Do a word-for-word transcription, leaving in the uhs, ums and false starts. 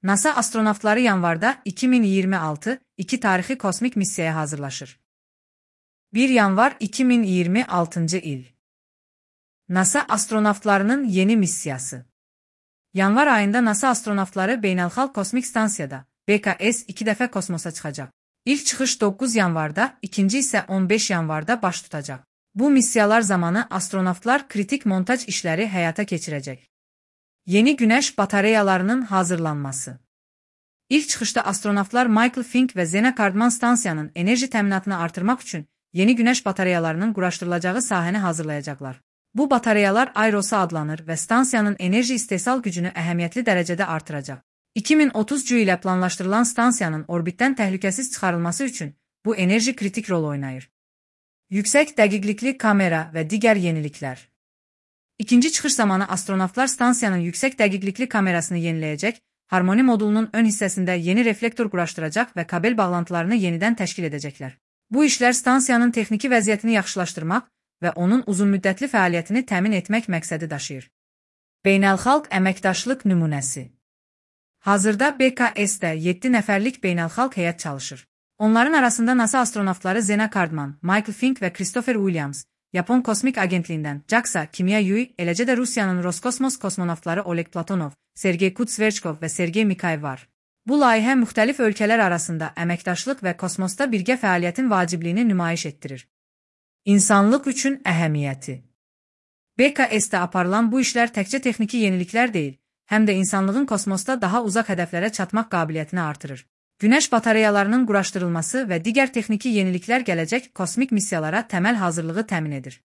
NASA astronavtları yanvarda iki min iyirmi altı iki tarixi kosmik missiyaya hazırlaşır. bir yanvar iki min iyirmi altıncı il. NASA astronavtlarının yeni missiyası. Yanvar ayında NASA astronavtları Beynəlxalq Kosmik Stansiyada B K S iki dəfə kosmosa çıxacaq. İlk çıxış doqquz yanvarda, ikinci isə on beş yanvarda baş tutacaq. Bu missiyalar zamanı astronavtlar kritik montaj işləri həyata keçirəcək. Yeni günəş batareyalarının hazırlanması. İlk çıxışda astronavtlar Michael Fink və Zena Cardman stansiyanın enerji təminatını artırmaq üçün yeni günəş batareyalarının quraşdırılacağı sahəni hazırlayacaqlar. Bu batareyalar Aerosa adlanır və stansiyanın enerji istehsal gücünü əhəmiyyətli dərəcədə artıracaq. iki min otuzuncu ilə planlaşdırılan stansiyanın orbitdən təhlükəsiz çıxarılması üçün bu enerji kritik rol oynayır. Yüksək dəqiqlikli kamera və digər yeniliklər. İkinci çıxış zamanı astronavtlar stansiyanın yüksək dəqiqlikli kamerasını yeniləyəcək, harmoni modulunun ön hissəsində yeni reflektor quraşdıracaq və kabel bağlantılarını yenidən təşkil edəcəklər. Bu işlər stansiyanın texniki vəziyyətini yaxşılaşdırmaq və onun uzunmüddətli fəaliyyətini təmin etmək məqsədi daşıyır. Beynəlxalq əməkdaşlıq nümunəsi. Hazırda B K S-də yeddi nəfərlik beynəlxalq heyət çalışır. Onların arasında NASA astronavtları Zena Cardman, Michael Fink və Christopher Williams, Yapon Kosmik Agentliyindən JAXA, Kimya Yui, eləcə də Rusiyanın Roskosmos kosmonavtları Oleg Platonov, Sergey Kutsverchkov və Sergey Mikhail var. Bu layihə müxtəlif ölkələr arasında əməkdaşlıq və kosmosda birgə fəaliyyətin vacibliyini nümayiş etdirir. İnsanlıq üçün əhəmiyyəti. B K S-də aparılan bu işlər təkcə texniki yeniliklər deyil, həm də insanlığın kosmosda daha uzaq hədəflərə çatmaq qabiliyyətini artırır. Günəş batareyalarının quraşdırılması və digər texniki yeniliklər gələcək kosmik missiyalara təməl hazırlığı təmin edir.